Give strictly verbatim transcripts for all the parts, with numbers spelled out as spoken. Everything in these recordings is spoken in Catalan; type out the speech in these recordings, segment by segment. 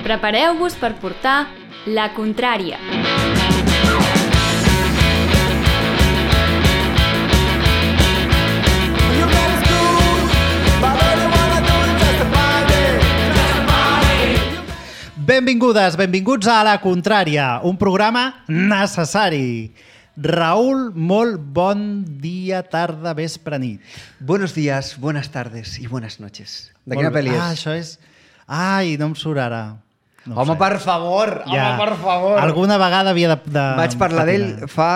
Prepareu-vos per portar La Contrària. Benvingudes, benvinguts a La Contrària, un programa necessari. Raúl, molt bon dia, tarda, vespre, nit. Buenos días, buenas tardes y buenas noches. De quina Molt bé. pel·li és? Ah, això és... Ai, no em surt ara. No ho home, sé. per favor, Ja. home, per favor. Alguna vegada havia de... de Vaig parlar d'ell patinar. fa...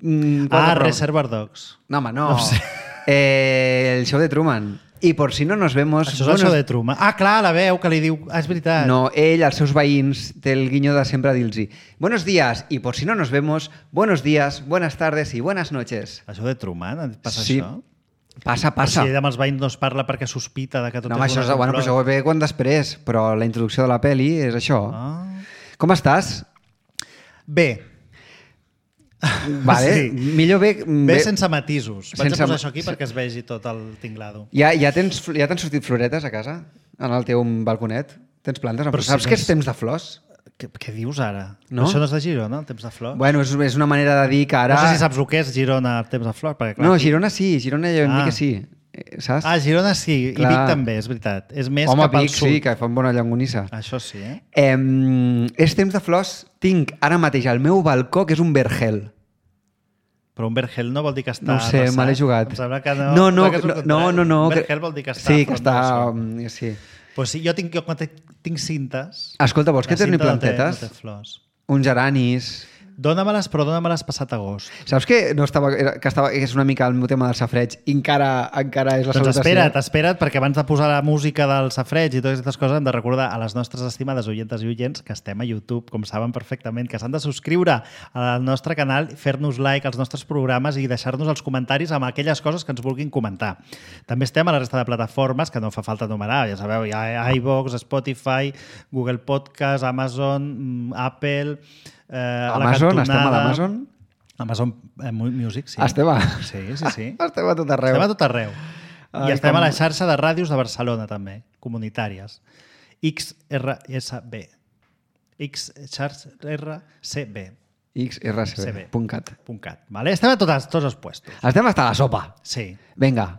Mm, Ah, quatre Reservoir Dogs. No, home, no. No ho sé. Eh, el show de Truman. I por si no nos vemos... Això és el show de Truman. Ah, clar, la veu que li diu... Ah, és veritat. No, ell, als seus veïns, té el guiño de sempre dir-los buenos días, y por si no nos vemos, buenos días, buenas tardes y buenas noches. Això de Truman? Passa Sí. això? Passa, passa. O sigui, amb els veïns no es parla perquè sospita de que tot No, home, és això, una és, bueno, però això ho ve quan després, però la introducció de la peli és això. Ah. Com estàs? Bé. Vale, Sí. millor bé... Bé sense matisos. Vaig Sense a posar ma- això aquí perquè es vegi tot el tinglado. Ja, ja tens ja t'han sortit floretes a casa? En el teu balconet? Tens plantes? Però Però si saps no que és- és temps de flors? Què, què dius ara? No? Això no és de Girona, el temps de flors? Bueno, és, és una manera de dir que ara... No sé si saps el que és Girona, el temps de flors. Perquè, clar, No, aquí- Girona sí, Girona ja vam Ah. dir que sí. Eh, Saps? Ah, Girona sí, Clar. i Vic també, és veritat. És més Home, cap al Vic sud. sí, que fan bona llangonissa. Això sí, eh? Eh, és temps de flors. Tinc ara mateix al meu balcó, que és un vergel. Però un vergel no vol dir que està No ho sé, arrasat. me l'he jugat. Em sembla que no. no, no, que és el no, contrari. no, no, Un que- vergel vol dir que està Sí, que està... frondoso. mm, Sí. Pues sí, jo tinc, jo quan te- tinc cintes... Escolta, vols que la torni cinta no té- plantetes? No té flors. Uns geranis... Dóna-me-les, però dóna-me-les passat agost. Saps que, no estava, era- que, estava, que és una mica el meu tema del safreig i encara, encara és la Doncs salutació? espera't, espera't, perquè abans de posar la música del safreig i totes aquestes coses hem de recordar a les nostres estimades oientes i oients que estem a YouTube, com saben perfectament, que s'han de subscriure al nostre canal, fer-nos like als nostres programes i deixar-nos els comentaris amb aquelles coses que ens vulguin comentar. També estem a la resta de plataformes, que no fa falta enumerar, ja sabeu, hi ha iVoox, Spotify, Google Podcast, Amazon, Apple... Eh, a la Amazon? cantonada. Estem a l'Amazon? Amazon eh, Music, sí. Estem a... Sí, sí, sí. Estem a tot arreu. Estem a tot arreu. Ai, I estem com- a la xarxa de ràdios de Barcelona, també, comunitàries. X R S B. X R C B. X R C B punt cat. .cat. Vale? Estem a totes, tots els puestos. Estem hasta la sopa. Sí. Vinga.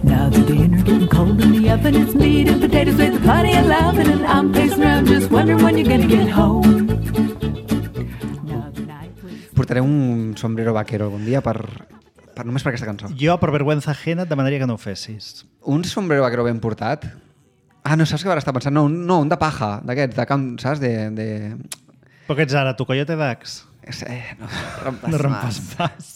Now the dinner getting cold in the oven. It's meat and potatoes with plenty of loving, and I'm pacing around just wondering when you're gonna get home. Now the night was... Portaré un sombrero vaquero algun dia per, per només per aquesta cançó. Jo, per vergüenza ajena, et demanaria que no ho fessis. Un sombrero vaquero ben portat? Ah, no, saps què ara està pensant? No, un, no, un de paja, d'aquests, de camp, saps? De... de... Però què ets ara, tu, Coyote Dax? Eh, no, rompes No rompes pas.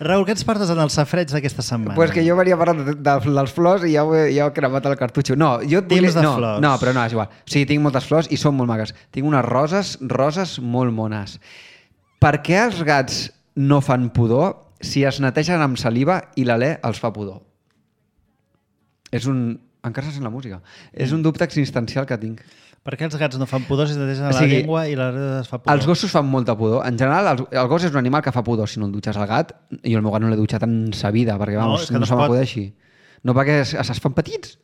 Raül, què ens portes en el safreig d'aquesta setmana? Pues que jo venia parlant de, de, dels flors i ja, ho he, ja he cremat el cartutxo. No, jo et volia... Temps de no, flors. no, però no, és igual. O sigui, tinc moltes flors i són molt maques. Tinc unes roses, roses molt mones. Per què els gats no fan pudor si es netegen amb saliva i l'alè els fa pudor? És un... Encara se sent la música. És un dubte existencial que tinc. Per què els gats no fan pudor si es netegen O la sigui, llengua i la es fa pudor? Els gossos fan molta pudor. En general, el, el gos és un animal que fa pudor si no el dutxes. El gat, i el meu gat no l'he dutxat en sa vida, perquè No, vamos, és que no, no se es pot. m'acudeixi. No, perquè es, es fan petits.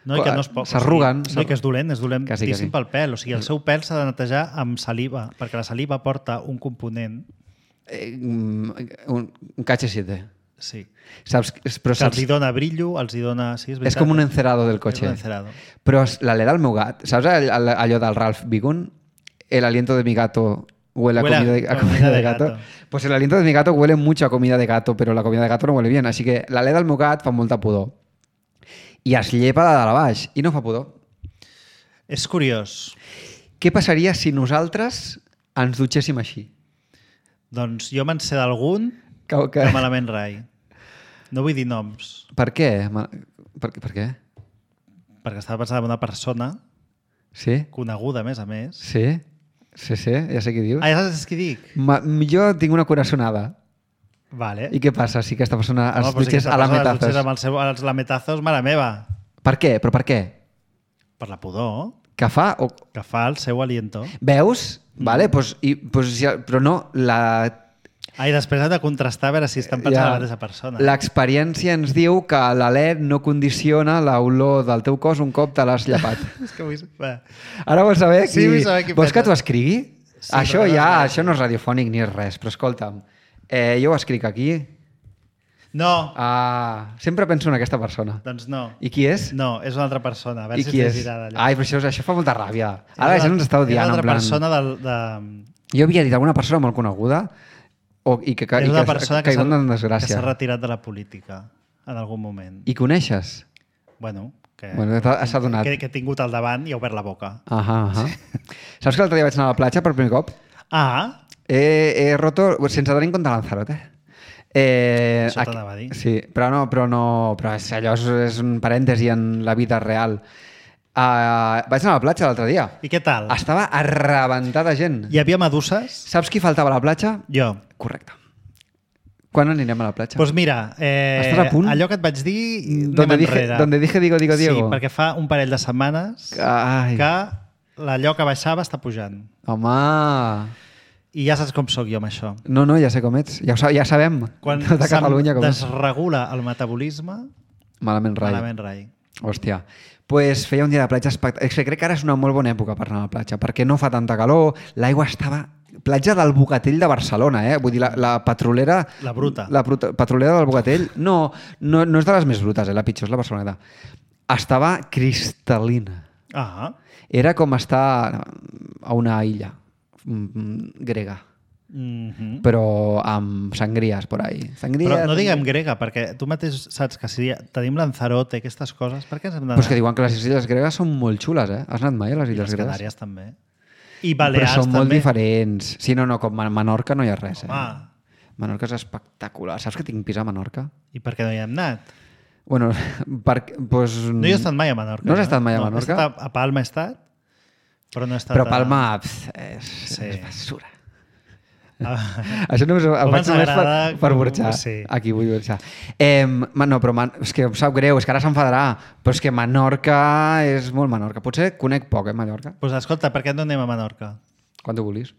No, i que no es pot. S'arruguen. O sigui, no, i que és dolent, és dolent Que sí, que sí. pel pèl. O sigui, el seu pèl s'ha de netejar amb saliva, perquè la saliva porta un component... Eh, un, un K H siete. Sí. Saps? Però Que els saps? hi dona brillo, els hi dona... Sí, és, És veritat, com un eh? encerado del És cotxe. un encerado. Però es- l'alè del meu gat, saps all- all- allò del Ralph Bigun? El aliento de mi gato huele a Huele a comida de, a comida comida de de gato. gato. Pues el aliento de mi gato huele mucho a comida de gato, però la comida de gato no huele bien. Així que l'alè del meu gat fa molta pudor. I es llepa de dalt a baix i no fa pudor. És curiós. Què passaria si nosaltres ens dutxéssim així? Doncs jo me'n sé d'algun Que, que... que malament rai. No vull dir noms, Per què? Ma- Per, per què? perquè estava pensant en una persona Sí? coneguda, a més a més. Sí? Sí, sí, ja sé què dius. Ah, ja saps què dic? Ma, jo tinc una coraçonada. Vale. I què passa si aquesta persona Home, es però si dutxés aquesta a la persona es metazos? dutxés amb els, seu, els lametazos, mare meva. Per què? Però per què? Per la pudor Que fa? O... que fa el seu aliento. Veus? Vale, pues, i, pues, ja, però no, la... Ah, i després hem de contrastar a veure si estan pensant ja, la mateixa persona. L'experiència ens diu que l'alè no condiciona l'olor del teu cos un cop te l'has llapat. És que vull... Va. Ara vols saber qui... Sí, vull saber qui Vols pensa. que t'ho escrigui? Sí, això però ja, no, això no és radiofònic ni és res, però escolta'm, eh, jo ho escric aquí. No, Ah, sempre penso en aquesta persona. doncs no. I qui és? No, és una altra persona. A veure I si qui es és? llegirà d'allò. Ai, però això, això fa molta ràbia. Ara la És gent ens està una- odiant, És una en altra plan... persona del, de... Jo havia dit alguna persona molt coneguda o, i que, que, és i una que persona ha que s'ha caigut en que desgràcia. s'ha retirat de la política en algun moment. I coneixes? Bueno, que, Bueno, t'ha- s'ha donat. que, que he tingut al davant i ha obert la boca. Ahà, ahà. Saps que l'altre dia vaig anar a la platja per primer cop? Ah, He, he roto, sense tenir en compte Lanzarote. Eh, Això aquí- t'anava a dir. Sí, però no, però no, però és, allò és, és un parèntesi en la vida real. Uh, vaig anar a la platja l'altre dia. i què tal? Estava arrebentada gent. Hi havia meduses? Saps qui faltava a la platja? Jo. Correcte. Quan anirem a la platja? Doncs pues mira, eh, Estàs a punt? allò que et vaig dir, donde anem dije, enrere. donde dije digo, digo, Diego. Sí, perquè fa un parell de setmanes Ai. que l'allò que baixava està pujant. Home... I ja saps com sóc jo amb això. No, no, ja sé com ets. Ja, ho sa- ja sabem. Quan Tota se'm Catalunya com ets. desregula el metabolisme, Malament rai. malament rai. Hòstia. Pues feia un dia de platja espectacular. És que crec que ara és una molt bona època per anar a la platja, perquè no fa tanta calor, l'aigua estava... Platja del Bogatell de Barcelona, eh? Vull dir, la, la petrolera... La bruta. La bruta, petrolera del Bogatell, no, no, no és de les més brutes, eh? La pitjor és la Barceloneta. Estava cristal·lina. Ah, Era com estar a una illa mm, grega, mm -hmm. però amb sangries por ahí. Sangries... Però no diguem grega, perquè tu mateix saps que si tenim Lanzarote i aquestes coses, per què ens hem d'anar? Però és que diuen que les illes gregues són molt xules, eh? Has anat mai a les I illes les gregues? Canàries també. I Balears Però són també. molt diferents. Sí, no, no, com a Menorca no hi ha res. Eh? Home. Menorca és espectacular. Saps que tinc pis a Menorca? I per què no hi hem anat? Bueno, per, pues... No hi he estat mai a Menorca. No has jo, estat mai a no, Menorca? He estat a, a Palma he estat, però no he estat Però a... Palma pf, és, Sí. és basura. Ah. Això només ho Com faig ens només per, agrada per com- burxar. sí. Aquí vull burxar. Eh, no, però man, és que em sap greu, és que ara s'enfadarà. Però és que Menorca és molt Menorca. Potser conec poc, eh, Mallorca. Doncs pues escolta, per què no anem a Menorca? Quan tu vulguis.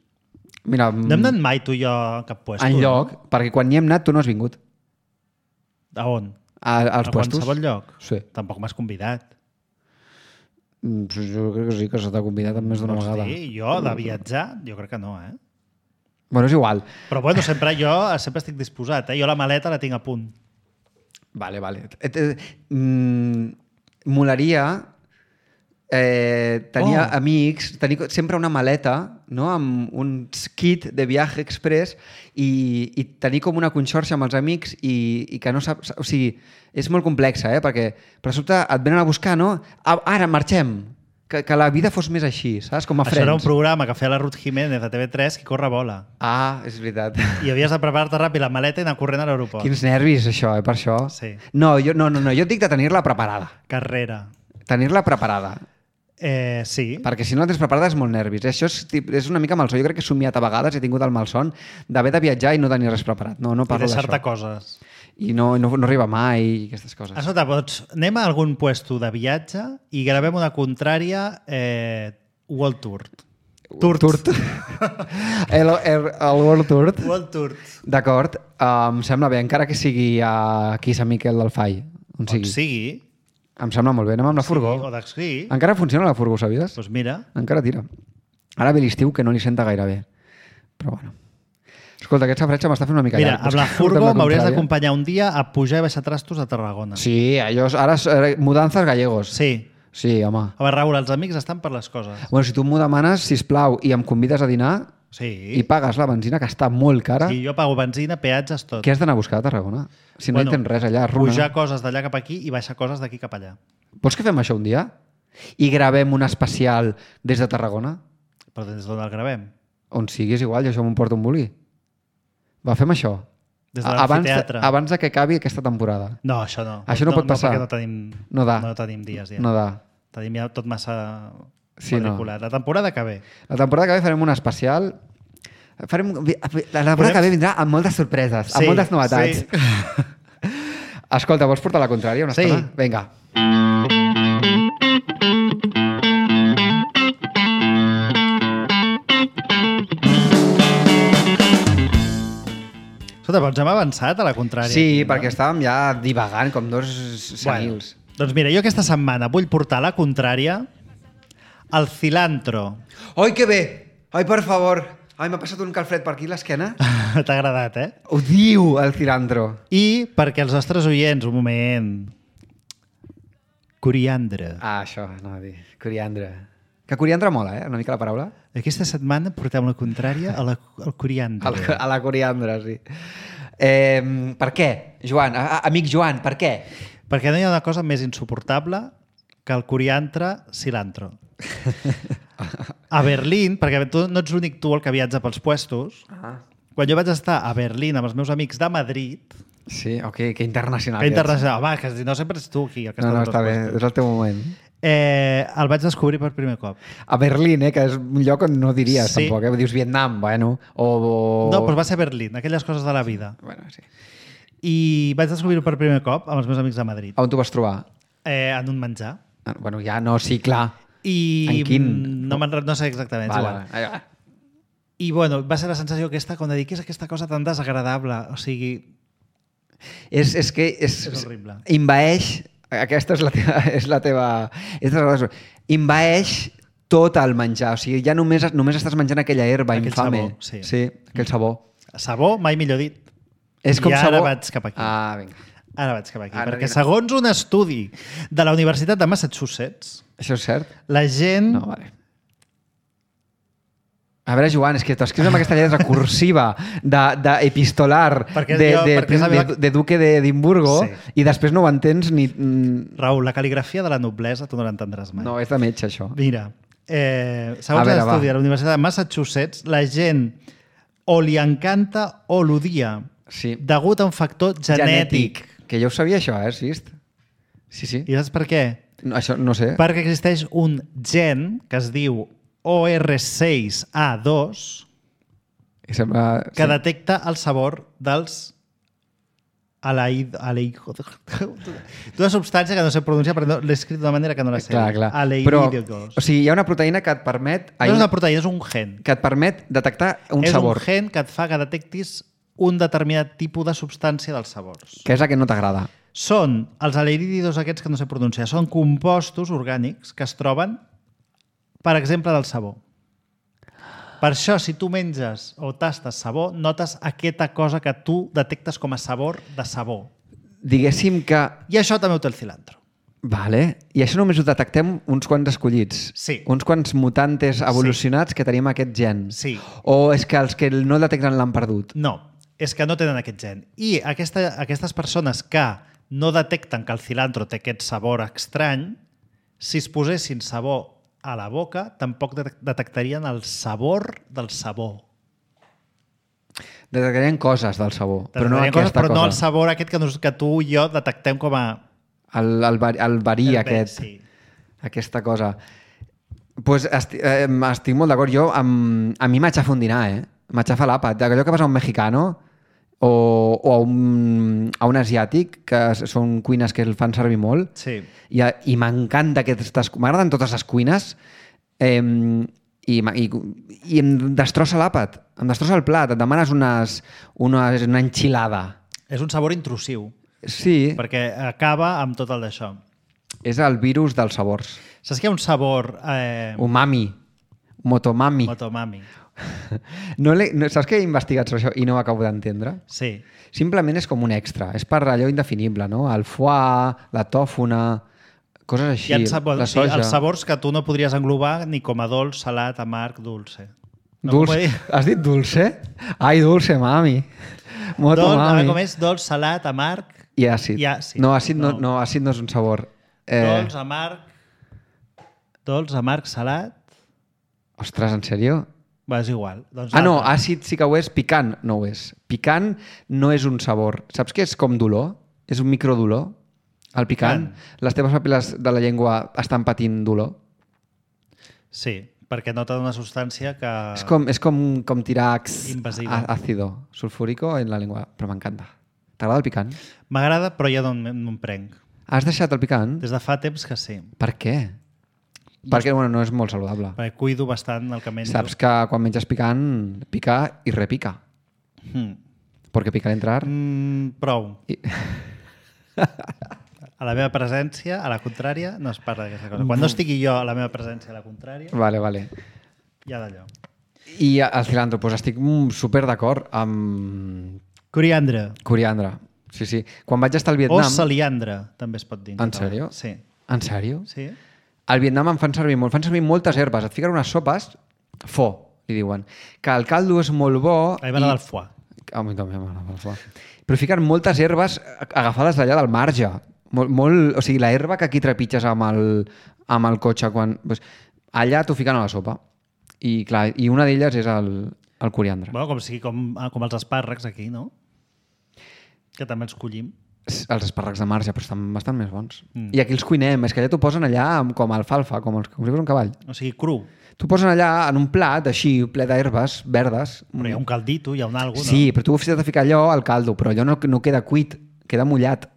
Mira, No hem anat mai tu i jo a cap puesto. en lloc, perquè quan hi hem anat tu no has vingut. A on? A, als A puestos. qualsevol lloc? Sí. Tampoc m'has convidat. Mm, Jo crec que sí, que se t'ha convidat més d'una Vols vegada. dir? Jo, de viatjar, jo crec que no, eh? Bueno, és igual. Però bueno, sempre jo sempre estic disposat, eh? Jo la maleta la tinc a punt. Vale, vale. Et, et, mm, molaria eh, tenir Oh. amics, tenir sempre una maleta, no? Amb un kit de viatge express i, i tenir com una conxorxa amb els amics i, i que no saps... O sigui, és molt complexa, eh? Perquè per sobte et venen a buscar, no? Ah, ara, marxem! Que, que la vida fos més així, saps? Com a Això era un Friends. programa que feia la Ruth Jiménez de T V tres, qui corre vola. Ah, és veritat. I havies de preparar-te ràpid la maleta i anar corrent a l'aeroport. Quins nervis, això, eh? Per això. Sí. No, jo, no, no, no, jo et dic de tenir-la preparada. Carrera. Tenir-la preparada. Eh, sí. Perquè si no la tens preparada és molt nervis. Això és, tip- és una mica malson. Jo crec que he somiat a vegades, he tingut el malson d'haver de viatjar i no tenir res preparat. No, no I parlo deixar-te d'això. coses. I no, no, no arriba mai i aquestes coses. Escolta, pots, anem a algun puesto de viatge i gravem una contrària eh, World Tour. Tour. Tour. el, el, el World Tour. World Tour. D'acord. Uh, em sembla bé, encara que sigui aquí a Sant Miquel del Fai. On On sigui. sigui. Em sembla molt bé. Anem amb la furgó. Sí, o d'ací. Encara funciona la furgó, sabies? Doncs mira. Encara tira. Ara ve l'estiu que no li senta gaire bé. Però bueno. Escolta, aquest safratge m'està fent una mica Mira, llarg. amb la Busca- furgo amb la m'hauries contrària. d'acompanyar un dia a pujar i baixar trastos a Tarragona. Sí, allò, ara és, eh, mudances gallegos. Sí. Sí, home. A veure, Raül, els amics estan per les coses. Bueno, si tu m'ho demanes, sisplau, i em convides a dinar Sí. i pagues la benzina, que està molt cara, Sí, jo pago benzina, peatges, tot. què has d'anar a buscar a Tarragona? Si no bueno, hi tens res allà, runa. Pujar coses d'allà cap aquí i baixar coses d'aquí cap allà. Vols que fem això un dia? I gravem un especial des de Tarragona? Però des d'on el gravem? On siguis igual, jo això m'ho porto un bolí. Va, fem això. Des de abans, de, l'amfiteatre. abans de que acabi aquesta temporada. No, això no. Això no pot passar. No, perquè no tenim, No da. no tenim dies ja. No da. Tenim ja tot massa Sí, matriculat. La temporada que ve. La temporada que ve farem un especial. Farem... La temporada Podem- que ve vindrà amb moltes sorpreses, Sí, amb moltes novetats. sí. Escolta, vols portar la contrària una Sí. estona? Vinga. Escolta, doncs hem avançat a la contrària. Sí, aquí, no? perquè estàvem ja divagant com dos senils. Bueno, doncs mira, jo aquesta setmana vull portar a la contrària el cilantro. Ai, que bé! Ai, per favor! Ai, m'ha passat un calfred per aquí a l'esquena. T'ha agradat, eh? Odio el cilantro. I perquè els nostres oients, un moment... Coriandre. Ah, això, no a dir. Coriandre. Que coriandre mola, eh? Una mica la paraula. Aquesta setmana portem la contrària a la, al coriandre. A la, a la coriandre, sí. Eh, per què, Joan? A, a, amic Joan, per què? Perquè no hi ha una cosa més insuportable que el coriandre cilantro. A Berlín, perquè tu no ets l'únic tu el que viatja pels puestos, Ah. quan jo vaig estar a Berlín amb els meus amics de Madrid, Sí, ok, que internacional. que internacional, va, que no sempre ets tu aquí el que No, no, estàs està als bé, puestos. és el teu moment. Eh, el vaig descobrir per primer cop. A Berlín, eh, que és un lloc on no diries, Sí. tampoc, eh? Dius Vietnam, bueno, o... o... No, però va ser Berlín, aquelles coses de la vida. Bueno, sí. I vaig descobrir-ho per primer cop amb els meus amics de Madrid, On t'ho vas trobar? eh, en un menjar. Ah, bueno, ja no, sí, clar. I En quin? mm, no, me'n re- no sé exactament. Vale, Vale. vale. va. I bueno, va ser la sensació aquesta com de dir, què és aquesta cosa tan desagradable? O sigui, És, és que és, És horrible. Invaeix, aquesta és la teva... És la teva és la, invaeix tot el menjar. O sigui, ja només, només estàs menjant aquella herba Aquell infame. sabor, sí. sí, aquell sabor. sabó, mai millor dit. És com I ara sabor... vaig cap aquí. Ah, vinga. Ara vaig cap aquí. Ara perquè vine. segons un estudi de la Universitat de Massachusetts, Això és cert? la gent... No, vale. A veure, Joan, és que t'escrius amb aquesta lletra cursiva d'epistolar de, Perquè de, jo- de, perquè és la de, meva- de duque d'Edimburgo Sí. i després no ho entens ni... mm, Raül, la cal·ligrafia de la noblesa tu no l'entendràs mai. No, és de metge, això. Mira, eh, A segons veure, l'estudi va. de la Universitat de Massachusetts, la gent o li encanta o l'odia Sí. degut a un factor genètic. Que jo ho sabia, això, eh? Has vist? Sí, sí. I saps per què? No, això no sé. Perquè existeix un gen que es diu O R sis A dos I sembla... que detecta el sabor dels aleid... aleid... d'una substància que no sé pronunciar perquè no, l'he escrit d'una manera que no la sé. Clar, clar. Aleidídicos. Però, o sigui, hi ha una proteïna que et permet... No és una proteïna, és un gen. que et permet detectar un és sabor, un gen que et fa que detectis un determinat tipus de substància dels sabors. que és la que no t'agrada. Són els aleidídidos aquests que no sé pronunciar. Són compostos orgànics que es troben, per exemple, del sabó. Per això, si tu menges o tastes sabó, notes aquesta cosa que tu detectes com a sabor de sabó. Diguéssim que... I això també ho té el cilantro. Vale. I això només ho detectem uns quants escollits. Sí. Uns quants mutantes evolucionats que tenim aquest gen. Sí. O és que els que no el detecten l'han perdut. No, és que no tenen aquest gen. I aquesta, aquestes persones que no detecten que el cilantro té aquest sabor estrany, si es posessin sabó a la boca, tampoc de- detectarien el sabor del sabó. Detectarien coses del sabor, però no Detectarien aquesta coses, però cosa. no el sabor aquest que, nos, que tu i jo detectem com a... El, el, vari- el verí el aquest. Sí. Aquesta cosa. Pues esti eh, estic molt d'acord. Jo, amb, a mi m'aixafa un dinar, eh? M'aixafa l'àpat. Allò que vas a un mexicano o, o a, un, a un asiàtic, que són cuines que el fan servir molt, Sí. i, i m'encanta aquestes... M'agraden totes les cuines eh, i, ma- i, i em destrossa l'àpat, em destrossa el plat, et demanes unes, unes, una enxilada. És un sabor intrusiu, Sí, perquè acaba amb tot el d'això. és el virus dels sabors. Saps que hi ha un sabor... Eh, Umami, motomami. motomami. No l'he- no, saps que he investigat sobre això i no ho acabo d'entendre? Sí. Simplement és com un extra, és per allò indefinible, no? El foie, la tòfona, coses així, Hi ha sabor, la sí, soja. els sabors que tu no podries englobar ni com a dolç, salat, amarg, dulce. No Dulce. m'ho puc dir. Has dit dulce? Ai, dulce, mami. Moto, Dolç, a mami. veure com és dolç, salat, amarg, I àcid. I àcid. No, àcid no, No. no, àcid no és un sabor. Eh, dolç, amarg, dolç, amarg, salat... Ostres, en sèrio? Va, és igual. Doncs Ah, no, l'altre. àcid sí que ho és, picant no ho és. Picant no és un sabor. Saps què és com dolor? És un microdolor. El picant. Picant. Les teves papil·les de la llengua estan patint dolor. Sí, perquè nota una substància que... És com, és com, com tirar x- Invasiva. á- ácido sulfúrico en la llengua, però m'encanta. T'agrada el picant? M'agrada, però ja no, em- no em prenc. Has deixat el picant? Des de fa temps que sí. Per què? Perquè bueno, no és molt saludable. Perquè cuido bastant el que menjo. Saps que quan menges picant, pica i repica. Mm. Porque pica entrar. Mm, prou. I... A la meva presència, a la contrària, no es parla d'aquesta cosa. Quan no estigui jo a la meva presència a la contrària, Vale, vale. hi ha d'allò. I el cilantro, doncs estic super d'acord amb Coriandre. coriandre. Sí, sí. Quan vaig estar al O Vietnam... saliandre, també es pot dir. En sèrio? Sí. En sèrio? Sí? Al Vietnam en fan servir molt. Fan servir moltes herbes. Et fiquen unes sopes, fo, li diuen. Que el caldo és molt bo... A mi m'agrada el foie. A mi també m'agrada el foie. Però fiquen moltes herbes agafades d'allà del marge. Molt, molt... O sigui, la herba que aquí trepitges amb el, amb el cotxe, quan... Pues, allà t'ho fiquen a la sopa. I, clar, i una d'elles és el, el coriandre. Bueno, com, sigui, com, com els espàrrecs aquí, no? Que també els collim. Els espàrrecs de marge, però estan bastant més bons. Mm. I aquí els cuinem. És que allà t'ho posen allà amb, com alfalfa, com, els, com si fos un cavall. O sigui, cru. T'ho posen allà en un plat, així, ple d'herbes verdes. Però hi ha un caldito, hi ha un algo, no? Sí, però tu has de ficar allò al caldo, però allò no, no queda cuit, queda mullat.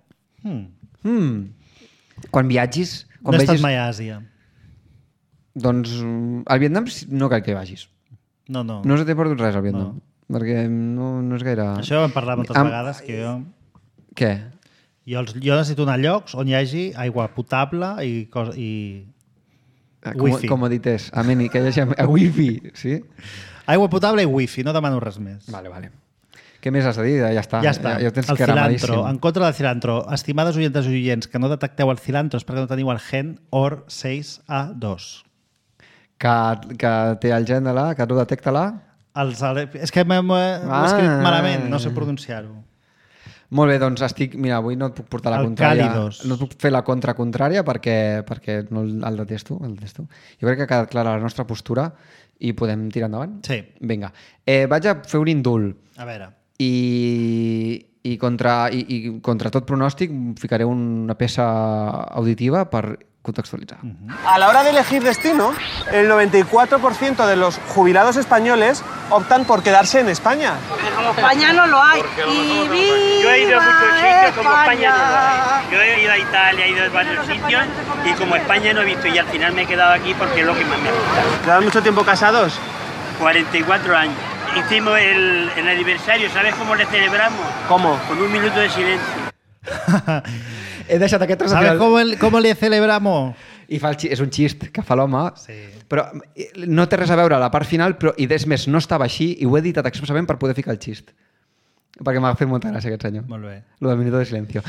Mm. Mm. Quan viatgis... Quan No he estat vegis... mai a Àsia. Doncs al Vietnam no cal que vagis. No, no. No se t'he perdut res al Vietnam. No. Perquè no, no és gaire... Això ho hem parlat moltes Am- vegades, que jo... Què? Jo, els, jo necessito anar a llocs on hi hagi aigua potable i... Cos, i... Com, Wifi. comodités. Amén, que hi hagi a wifi, sí? Aigua potable i wifi, no demano res més. Vale, vale. Què més has de dir? Ja està. Ja està. Ja, ja ho tens el que cilantro. ramadíssim. En contra del cilantro. Estimades oyentes i oients que no detecteu el cilantro és perquè no teniu el gen O R sis A dos. Que, que té el gen de la, que tu detecta-la. Els, és que m'he ah. escrit malament, no sé pronunciar-ho. Molt bé, doncs estic... Mira, avui no et puc portar la El contrària. càlidos. No et puc fer la contra contrària perquè, perquè no el, el detesto, el detesto. Jo crec que ha quedat clara la nostra postura i podem tirar endavant? Sí. Vinga. Eh, vaig a fer un indult A veure. i, i, contra, i, i contra tot pronòstic ficaré una peça auditiva per contextualitzar. A la hora de elegir destino, el noventa y cuatro por ciento de los jubilados españoles optan por quedarse en España. Como España no lo hay. Y viva Yo he ido a muchos sitios, como España no lo hay. España. Yo he ido a Italia, he ido a varios sitios y como España no he visto y al final me he quedado aquí porque es lo que más me gusta. ¿Llevan mucho tiempo casados? cuarenta y cuatro años. Hicimos el, el aniversario, ¿sabes cómo le celebramos? ¿Cómo? Con un minuto de silencio. He deixat aquest tros al ¿Sabes final. cómo, el, cómo le celebramos? I fa el xi... és un xist que fa l'home, Sí. però no té res a veure a la part final, però, i des més, no estava així, i ho he editat expressament per poder ficar el xist. Perquè m'ha fet molta gràcia aquest senyor. Molt bé. Lo del minuto de silencio.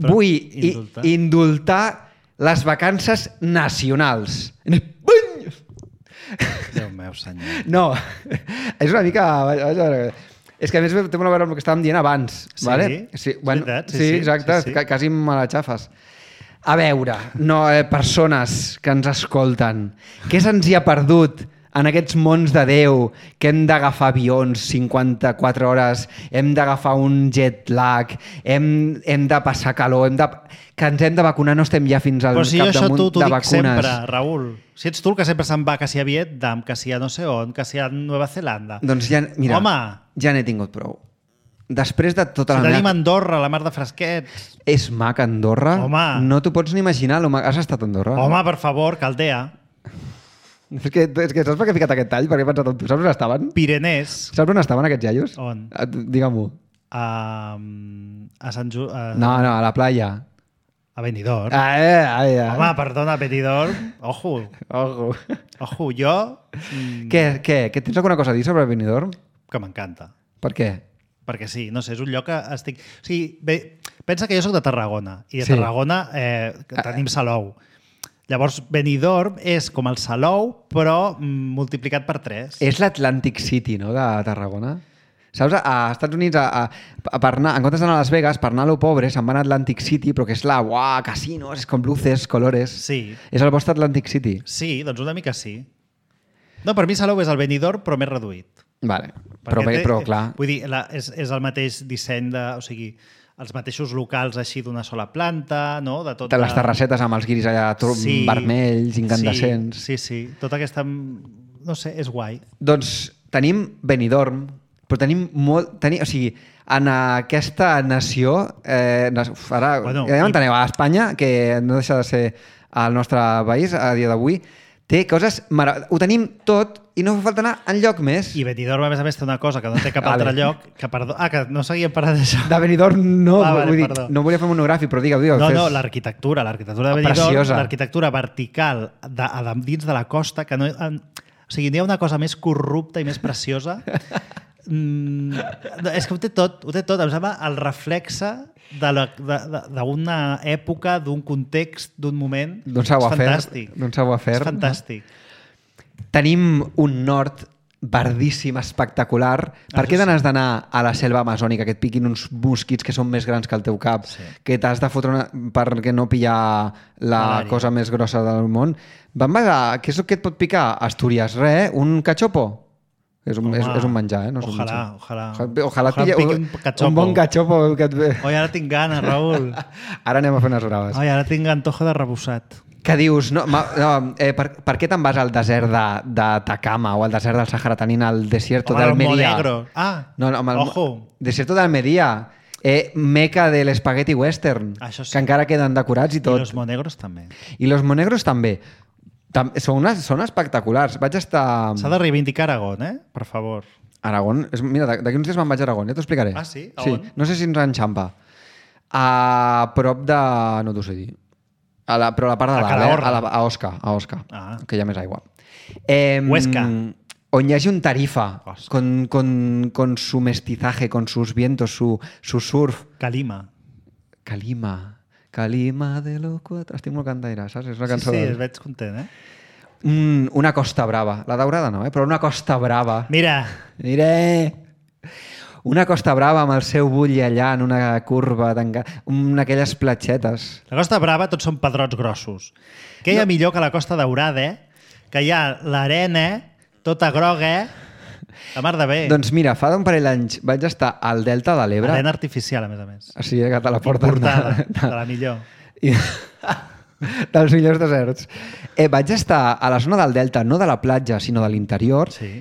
Però Vull indultar. indultar. indultar les vacances nacionals. En Espanya! Déu meu senyor. No, és una mica... vaja, vaja, és que a més té molt a veure amb el que estàvem dient abans. Sí? Vale? Sí, És bueno, veritat, sí, sí, sí, exacte, sí, sí. ca- quasi me la xafes. A veure, no, eh, persones que ens escolten, què se'ns hi ha perdut en aquests mons de Déu, que hem d'agafar avions cinquanta-quatre hores, hem d'agafar un jet lag, hem, hem de passar calor, hem de, que ens hem de vacunar, no estem ja fins al Però si jo això capdamunt tu t'ho de dic vacunes. sempre, Raül. Si ets tu el que sempre se'n va, que si a Vietnam, que si a no sé on, que si a Nova Zelanda. Doncs ja, mira, Home! ja n'he tingut prou. Després de tota Si la tenim meva... Andorra, la mar de fresquets. És maca Andorra. Home. No t'ho pots ni imaginar. lo ma- Has estat a Andorra? Home, per favor, Caldea. És que, és que saps per què he ficat aquest tall? Perquè he pensat en tu. Saps on estaven? Pirenès. Saps on estaven aquests iaios? On? Ah, Digue-m'ho. A, a Sant Ju... A, No, no, a la playa. a Benidorm. Ah, eh, ah, eh. Home, perdona, Benidorm. Ojo, Ojo. ojo, jo... Mm, Què, què? Que tens alguna cosa a dir sobre Benidorm? Que m'encanta. Per què? Perquè sí, no sé, és un lloc que estic... O sigui, bé, pensa que jo sóc de Tarragona, i de Sí. Tarragona eh, tenim Salou. Llavors, Benidorm és com el Salou, però mm, multiplicat per tres. És l'Atlantic City, no?, de Tarragona. Saps, a Estats Units, a, a, a per anar, en comptes d'anar a Las Vegas, per anar a lo pobre, se'n van a Atlantic City, però que és la, uah, casinos, és com luces, colores. Sí. És el vostre Atlantic City. Sí, doncs una mica sí. No, per mi Salou és el Benidorm, però més reduït. Vale. Però, Perquè bé, té- però clar... Vull dir, la, és, és el mateix disseny de... O sigui, els mateixos locals així d'una sola planta, no? De tot De les terrassetes amb els guiris allà sí, Sí. vermells, incandescents. Sí, sí, sí. Tota aquesta... No sé, és guai. Doncs tenim Benidorm, però tenim molt... Tenim, o sigui, en aquesta nació... Eh, nas- uf, ara, Bueno, ja i- m'enteneu, a Espanya, que no deixa de ser el nostre país a dia d'avui, Té coses... Mara... Ho tenim tot i no fa falta anar enlloc més. I Benidorm, a més a més, té una cosa que no té cap Vale. altre lloc. Que, perdó, ah, que no seguíem parlant d'això. De Benidorm no, Ah, vale, vull dir, perdó. no volia fer monogràfic, però digue'l, digue'l. No, fes. no, l'arquitectura, l'arquitectura de Benidorm, Preciosa. l'arquitectura vertical de, de, dins de la costa, que no... En, o sigui, n'hi ha una cosa més corrupta i més preciosa. Mm, és que ho té tot, ho té tot. Em sembla el reflexe d'una època, d'un context, d'un moment. D'un savoir-faire. És fantàstic. D'un savoir-faire. És fantàstic. Tenim un nord verdíssim, espectacular. Ah, Per què sí. n'has d'anar a la selva amazònica, que et piquin uns mosquits que són més grans que el teu cap, Sí. que t'has de fotre una... perquè no pillar la Malària. cosa més grossa del món? Van basar... Què és el que et pot picar? Astúries, res, un cachopo? És un, Home, és, és un menjar, eh? No és un ojalà, menjar. ojalà. Ojalà, ojalà, Ojalà pilla em piqui un, un cachopo. un bon cachopo que et ve. Oi, ara tinc gana, Raül. Ara anem a fer unes braves. Oi, ara tinc antojo de rebossat. Que dius, no, ma, no, eh, per, per què te'n vas al desert de, de Takama o al desert del Sàhara tenint el desierto Home, el d'Almeria? Monegro. Ah, No, no, amb el, ojo. Desierto d'Almeria, eh, meca de l'espagueti western, Això sí. que encara queden decorats i I tot. los monegros també. I los monegros també. Tam són, unes, són espectaculars. Vaig estar... S'ha de reivindicar Aragón, eh? Per favor. Aragón, és, mira, d'aquí uns dies me'n vaig a Aragón, ja t'ho explicaré. Ah, sí? A Sí, on? no sé si ens enxampa. A prop de... no t'ho sé dir. A la, però a la part de A dalt, eh? Calahorra. a, la, a Osca, a Osca, Ah. que hi ha més aigua. Eh, Huesca. On hi hagi un Tarifa, Osca. con, con, con su mestizaje, con sus vientos, su, su surf. Calima. Calima, Calima de los cuatro... Estic molt cantaire, saps? És una Sí, cançó... sí, de- es veig content, eh? Mm, una Costa Brava. La daurada no, eh? Però una Costa Brava. Mira, Mire! Una Costa Brava amb el seu bull allà en una curva, tanca... una aquelles platxetes. la Costa Brava tots són pedrots grossos. Què hi ha millor que la Costa Daurada, eh? Que hi ha l'arena, tota groga, eh? La mar de bé. Doncs mira, fa d'un parell d'anys vaig estar al Delta de l'Ebre. Arena artificial, a més a més. O sigui, que te la porten... Importada, de la millor. I... dels millors deserts. Eh, vaig estar a la zona del Delta, no de la platja, sinó de l'interior. Sí.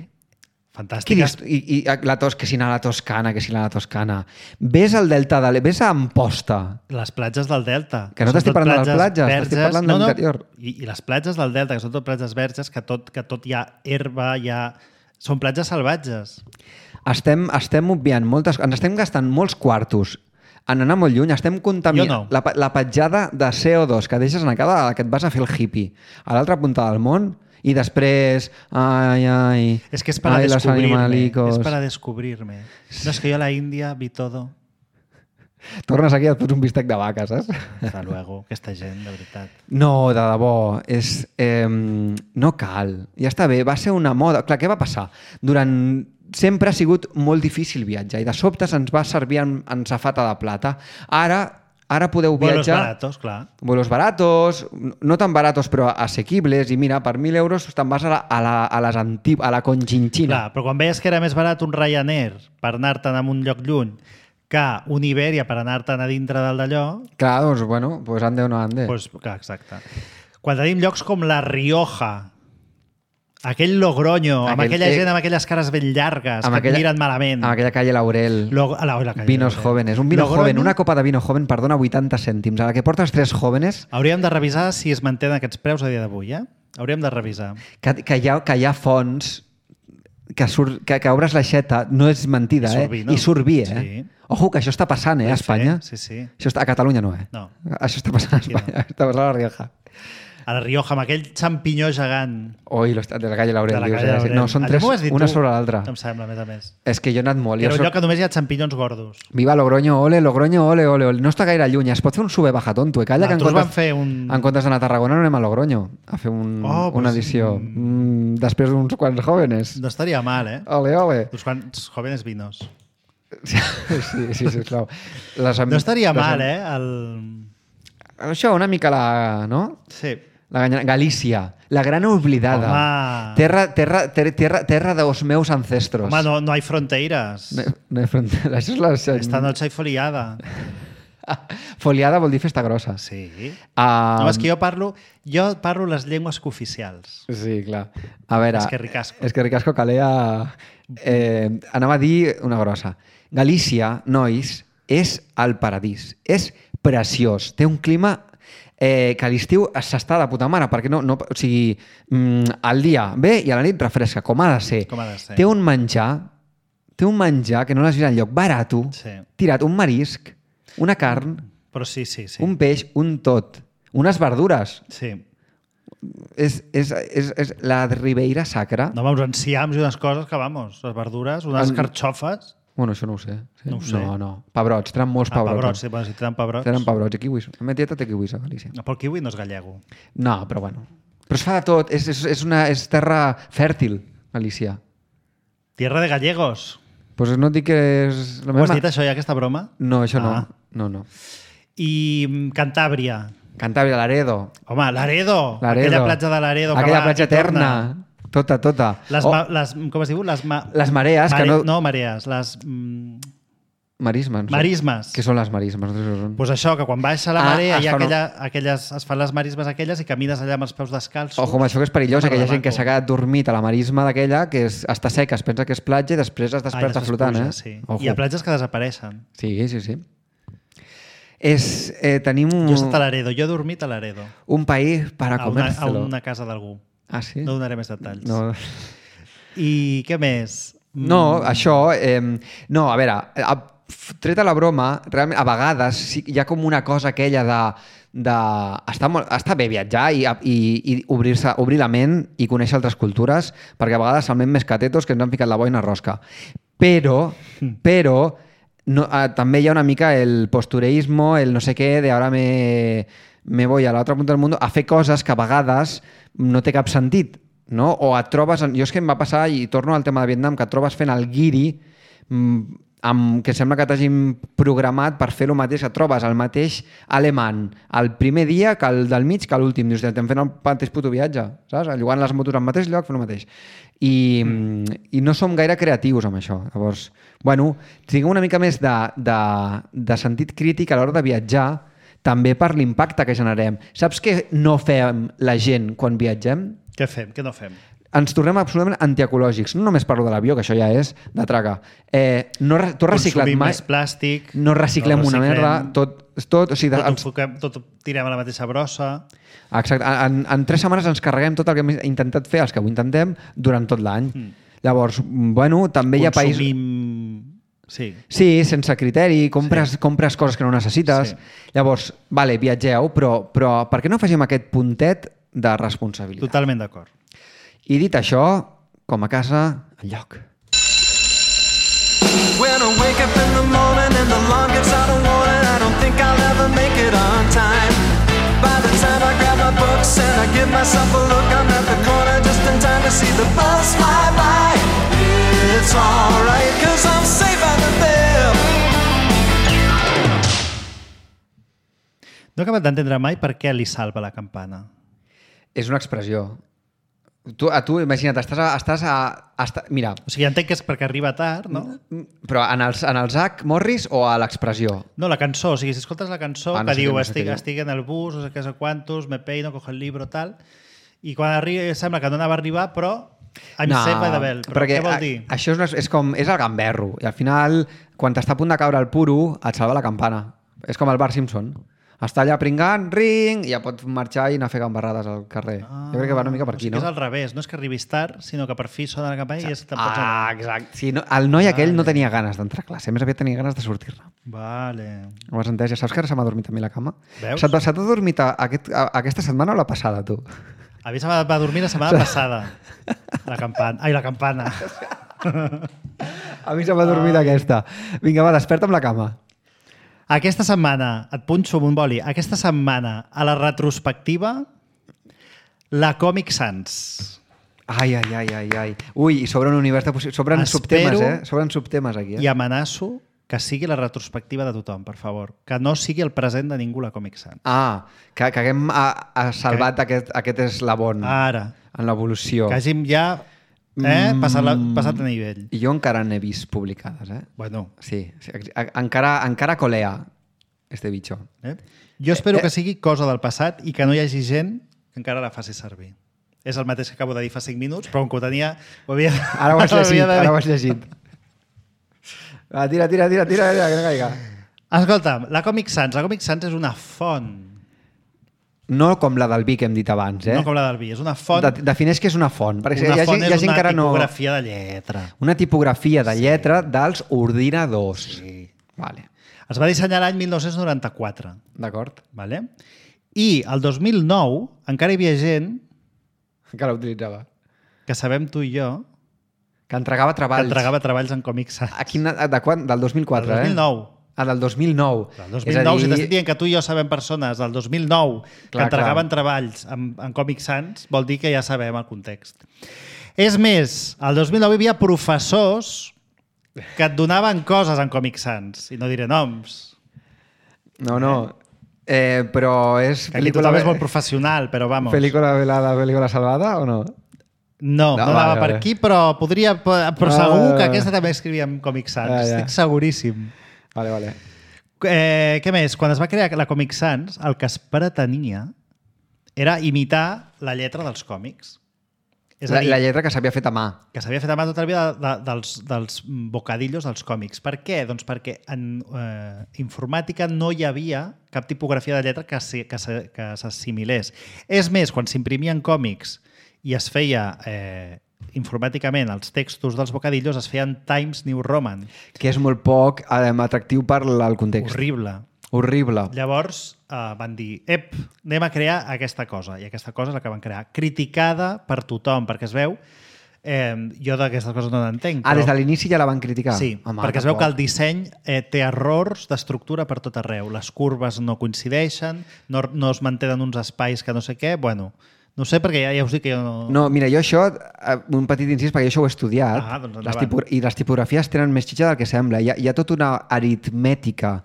Què Fantàstica. dius? I, i la tos, que si anar a la Toscana, que si anar a la Toscana. Ves al Delta de l'Ebre, ves a Amposta. Les platges del Delta. Que no són t'estic tot parlant de les platges, verges. t'estic parlant de l'interior. I, I les platges del Delta, que són tot platges verges, que tot, que tot hi ha herba, hi ha... Són platges salvatges. Estem, estem obviant moltes... Ens estem gastant molts quartos en anar molt lluny. Estem contaminant... Jo no. La, la petjada de C O dos que deixes en cada que et vas a fer el hippie a l'altra punta del món i després... Ai, ai... És que és para ai, los descubrirme. animalicos. És para descubrirme. No, és que jo a la Índia vi todo. Tornes aquí i et fots un bistec de vaca, saps? Hasta luego. Aquesta gent, de veritat. No, de debò, és, eh, no cal. Ja està bé, va ser una moda. Clar, què va passar? Durant... Sempre ha sigut molt difícil viatjar i de sobte se'ns va servir en, en safata de plata. Ara, ara podeu Vuelos viatjar... baratos, clar. Vuelos baratos, no tan baratos però assequibles, i mira, per mil euros te'n vas a la, a la, a les anti... a la Conchinchina. Clar, però quan veies que era més barat un Ryanair per anar-te'n a un lloc lluny que un Iberia per anar-te'n a dintre del d'allò, Clar, doncs, bueno, pues ande o no ande. doncs, clar, exacte. Quan tenim llocs com la Rioja, aquell Logroño, amb Aquell- aquella eh, gent amb aquelles cares ben llargues, amb que et miren malament. Amb aquella calle Laurel. Lo, a la, a la calle Vinos Laurel. jóvenes. Un vino Logroño, joven, una copa de vino joven, perdona, vuitanta cèntims. A la que portes tres jóvenes, Hauríem de revisar si es mantenen aquests preus a dia d'avui, eh? Hauríem de revisar. que, que, hi, ha, que hi ha fonts que, surt, que, que obres l'aixeta, no és mentida, I surt eh? vi, no? I surt vi, eh? Sí. Ojo, que això està passant, eh, a Espanya. Sí, sí. Això està, a Catalunya no, eh? No. Això està passant a Aquí no. Espanya. Està passant a la Rioja. A la Rioja, amb aquell xampinyó gegant Oi, los- de la calle Laurel. de la dius, calle eh? Laurel. No, són Allò tres, m'ho has dit una tu, sobre l'altra. em sembla, a més a més. És que jo he anat molt. Que Jo era un soc... lloc que només hi ha xampinyons gordos. Viva Logroño, ole, Logroño, ole, ole, ole. No està gaire lluny. Es pot fer un sube-baja tonto. Eh? Calla, que en Nosaltres vam comptes, fer un... en comptes d'anar a Tarragona no anem a Logroño a fer un, Oh, una pues, edició. Mm, després d'uns quants jóvenes. No estaria mal, eh? Ole, ole. Uns quants jóvenes vinos. Sí, sí, sí, sisplau. Les, am- No estaria les, mal, eh? El... Això, una mica la... No? Sí. La Ganya- Galícia, la gran oblidada. Home. Terra, terra, ter, terra, terra dels meus ancestros. Home, no, no hay fronteras. No, no hi ha frontera. Això és la... Esta noche hay foliada. Foliada vol dir festa grossa. Sí. Uh, No, és que jo parlo, jo parlo les llengües cooficials. Sí, clar. A veure... És que ricasco. És que ricasco calia... Eh, anava a dir una grossa. Galícia, nois, és el paradís. És preciós. Té un clima eh, que a l'estiu s'està de puta mare, perquè no, no, o sigui, mm, al dia ve i a la nit refresca, com ha de ser. Com ha de ser. Té un menjar, té un menjar que no l'has vist enlloc, barato, Sí. tirat, un marisc, una carn, Però sí, sí, sí. un peix, un tot, unes verdures. Sí. És, és, és, és la Ribeira Sacra. No, uns enciams i unes coses que, vamos, les verdures, unes En- carxofes. Bueno, això no ho sé. Sí? No ho sé. No, no. Pebrots, tenen molts Ah, pebrots. pebrots, sí, bueno, si tenen pebrots. Tenen pebrots i kiwis. La meva tieta té kiwis a Galícia. No, però el kiwi no és gallego. No, però bueno. Però es fa de tot. És, és, és, una, és terra fèrtil, Galícia. Tierra de gallegos. Doncs pues no et dic que és... La Ho has dit, això, ja, aquesta broma? No, això no. Ah. No, no. I mm, Cantàbria. Cantàbria, Laredo. Home, Laredo. Laredo. Aquella platja de Laredo. que Aquella va platja i torna. eterna. Tota, tota. Les, Oh, ma, les, com es diu? Les, ma, Les marees, que no- No, marees. Les mm, marismes. marismes. Què són les marismes? No sé què són. Pues això, que quan baixa la Ah, marea es hi ha fan- aquella, aquelles, es fan les marismes aquelles i camines allà amb els peus descalços. Ojo, amb això que és perillós, Home, que hi ha gent que maco. s'ha quedat dormit a la marisma d'aquella, que és, està seca, es pensa que és platja i després es Ah, i desperta després flotant, puja, eh? Sí. Ojo. Hi ha platges que desapareixen. Sí, sí, sí. És, eh, tenim un, Jo he estat a Laredo, jo he dormit a Laredo. un país para A una, a comérselo. una casa d'algú. Ah, sí? No donaré més detalls. No, I què més? no Mm, això... Eh, no, a veure, a, treta la broma, realment, a vegades sí, hi ha com una cosa aquella de... de està, molt, està bé viatjar i, i, i obrir-se obrir la ment i conèixer altres cultures, perquè a vegades salmem més catetos que ens han ficat la boina rosca. Però, però no, eh, també hi ha una mica el postureismo, el no sé què, de ara me, me voy a l'altra punta del mundo a fer coses que a vegades no té cap sentit, no? O et trobes... En, jo és que em va passar, i torno al tema de Vietnam, que et trobes fent el guiri mm, amb, que sembla que t'hagin programat per fer el mateix, que et trobes el mateix alemany el primer dia que el del mig que l'últim. Dius, estem fent el mateix puto viatge, saps? Llogant les motos al mateix lloc, fent el mateix. I, mm. i no som gaire creatius amb això. Llavors, bueno, tinguem una mica més de, de, de sentit crític a l'hora de viatjar, també per l'impacte que generem. Saps què no fem la gent quan viatgem? Què fem? Què no fem? Ens tornem absolutament antiecològics. No només parlo de l'avió, que això ja és de traca. Eh, no, re- tu has reciclat Consumim mai... més plàstic. No reciclem no una reciclem, merda, tot... tot, o sigui, Tot, ens, enfoquem, tot ho tirem a la mateixa brossa. exacte, en, en tres setmanes ens carreguem tot el que hem intentat fer, els que ho intentem, durant tot l'any. Mm. Llavors, bueno, també hi ha països... Consumim... Sí. Sí, sense criteri, compres, sí. compres coses que no necessites. Sí. Llavors, vale, viatgeu, però, però per què no afegim aquest puntet de responsabilitat? Totalment d'acord. I dit això, com a casa, enlloc. When I wake up in the morning and the alarm gets out of warning, I don't think I'll ever make it on time. By the time I grab my books and I give myself a look, I'm at the corner just in time to see the bus fly by. It's alright, cause I'm safe out there. No he acabat d'entendre mai per què li salva la campana. És una expressió. Tu, a tu, imagina't, estàs a... Estàs a, a esta, mira, O sigui, entenc que és perquè arriba tard, no? però en els, en el Zach Morris o a l'expressió? No, la cançó. O sigui, si escoltes la cançó Ah, no que sé diu què, no sé estic, què diu. estic en el bus, no sé què, no sé quantos, me peino, cojo el libro, tal, i quan arriba, sembla que no anava a arribar, però I'm no, safe by the bell. Però perquè què vol a- dir? Això és, una, és com... És el gamberro. I al final, quan t'està a punt de caure el puro, et salva la campana. És com el Bart Simpson. Està allà pringant, ring, i ja pots marxar i anar a fer gambarrades al carrer. Ah, jo crec que va una mica per o aquí, sigui no? És al revés. No és que arribis tard, sinó que per fi sona la campana i és te'n pots Ah, anar. exacte. Sí, no, el noi aquell Vale. no tenia ganes d'entrar a classe, més aviat tenia ganes de sortir-ne. Vale. Ho has entès? Ja saps que ara se m'ha dormit a mi la cama? Veus? Se t'ha se t'ha dormit a, aquest, a, aquesta setmana o la passada, tu? A mi se va, va dormir la setmana passada. La campana. Ai, la campana. A mi se m'ha dormit aquesta. Vinga, va, desperta amb la cama. Aquesta setmana, et punxo amb un boli, aquesta setmana, a la retrospectiva, la Comic Sans. Ai, ai, ai, ai, ai. Ui, i sobre un univers de possibilitats. Sobren Espero subtemes, eh? Sobren subtemes aquí, eh? I amenaço que sigui la retrospectiva de tothom, per favor. Que no sigui el present de ningú la Comic Sans. Ah, que, que haguem a, a salvat que... aquest, aquest eslabon Ara. en l'evolució. Que hàgim ja eh, passat, la, passat a nivell. I jo encara n'he vist publicades, eh? Bueno, Sí, sí a- encara, encara colea este bicho. eh? Jo espero Eh, eh. que sigui cosa del passat i que no hi hagi gent que encara la faci servir. És el mateix que acabo de dir fa cinc minuts, però com que ho tenia... Ho havia, Ara ho has ho llegit, havia de dir. ara ho has llegit. Va, tira, tira, tira, tira, tira, que no caiga. Escolta'm, la Comic Sans. La Comic Sans és una font No com la del vi que hem dit abans, eh? No com la del vi, és una font... De, defineix què és una font. Perquè una hi ha, font gent- hi ha és gent una que ara no... tipografia de lletra. Una tipografia de lletra dels ordinadors. Sí. Vale. Es va dissenyar l'any mil nou-cents noranta-quatre. D'acord. Vale? I el dos mil nou encara hi havia gent Que l'utilitzava. que sabem tu i jo Que entregava que treballs. entregava treballs en Comic Sans. A quin, de quan? Del dos mil quatre, Del dos mil nou. eh? Ah, del dos mil nou. El dos És mil a nou, dir- si t'estic dient que tu i jo sabem persones del dos mil nou que Clar, entregaven clar. treballs en, en Comic Sans, vol dir que ja sabem el context. És més, el dos mil nou hi havia professors que et donaven coses en Comic Sans, i no diré noms, No, no. Eh, però és que aquí tothom és molt professional, però vamos. Pel·lícula velada, pel·lícula salvada o no? No, no, No, no anava vale, per vale. aquí, però podria... Però Ah, segur vale, que vale. aquesta també escrivia en Comic Sans, Ah, ja. estic seguríssim. Vale, vale. Eh, què més? Quan es va crear la Comic Sans, el que es pretenia era imitar la lletra dels còmics. És a La, dir, la lletra que s'havia fet a mà. que s'havia fet a mà tota la vida de, de, dels, dels bocadillos dels còmics. Per què? Doncs perquè en eh, informàtica no hi havia cap tipografia de lletra que s'hi- que s'hi- que s'assimilés. És més, quan s'imprimien còmics i es feia eh, informàticament els textos dels bocadillos, es feien Times New Roman. Que és molt poc eh, atractiu per l- el context. Horrible. Horrible. Llavors eh, van dir, ep, anem a crear aquesta cosa. I aquesta cosa és la que van crear. Criticada per tothom, perquè es veu... Eh, jo d'aquestes coses no n'entenc. Ah, des de l'inici ja la van criticar? Sí, Home, perquè es veu que el tampoc. disseny eh, té errors d'estructura per tot arreu. Les curves no coincideixen, no, no es mantenen uns espais que no sé què. Bueno, no ho sé perquè ja, ja us dic que jo no... No, mira, jo això, eh, un petit incís, perquè jo això ho he estudiat, Ah, doncs endavant. les tipo i les tipografies tenen més xitxa del que sembla. Hi ha, hi ha tota una aritmètica,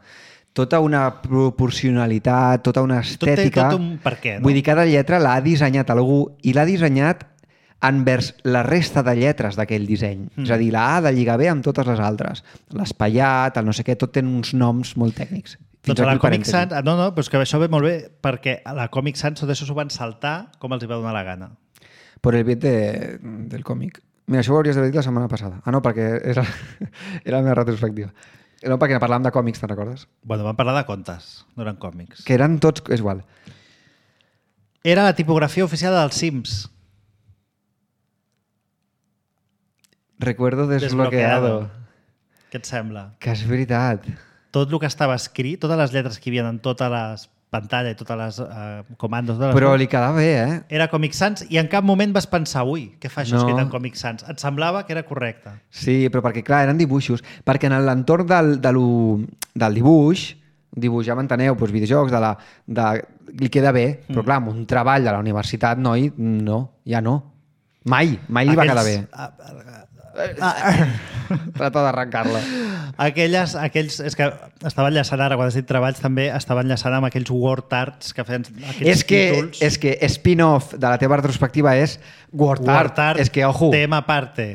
tota una proporcionalitat, tota una Tot té estètica. tot un per què, no? Vull dir, cada lletra l'ha dissenyat algú i l'ha dissenyat envers la resta de lletres d'aquell disseny. Mm. És a dir, la A ha de lligar bé amb totes les altres. L'espaiat, el no sé què, tot tenen uns noms molt tècnics. Fins Doncs a la aquí Comic parèntesi. Sans... No, no, però és que això ve molt bé perquè a la Comic Sans tot això s'ho van saltar com els hi va donar la gana. Por el bien de, del còmic. Mira, això ho hauries d'haver dit la setmana passada. Ah, no, perquè era, era la meva retrospectiva. No, perquè parlàvem de còmics, te'n recordes? Bueno, van parlar de contes, no eren còmics. Que eren tots... És igual. Era la tipografia oficial dels Sims. Recuerdo desbloqueado. Què et sembla? Que és veritat. Tot el que estava escrit, totes les lletres que hi havia en totes les pantalles, totes les uh, comandos... De les Però li quedava bé, eh? Era Comic Sans i en cap moment vas pensar ui, què fa això No. escrit en Comic Sans? Et semblava que era correcte. Sí, però perquè, clar, eren dibuixos. Perquè en l'entorn del, de lo, del dibuix, dibuix, ja m'enteneu, doncs videojocs, de la, de, li queda bé, però clar, amb un treball de la universitat, noi, no, ja no. Mai, mai li va quedar bé. Trata d'arrencar-la. Aquelles, aquells, és que estava enllaçant ara, quan has dit treballs també, estava enllaçant amb aquells word arts que feien aquells És que, títols. és que spin-off de la teva retrospectiva és Word Art. Word art, És que, ojo, tema aparte.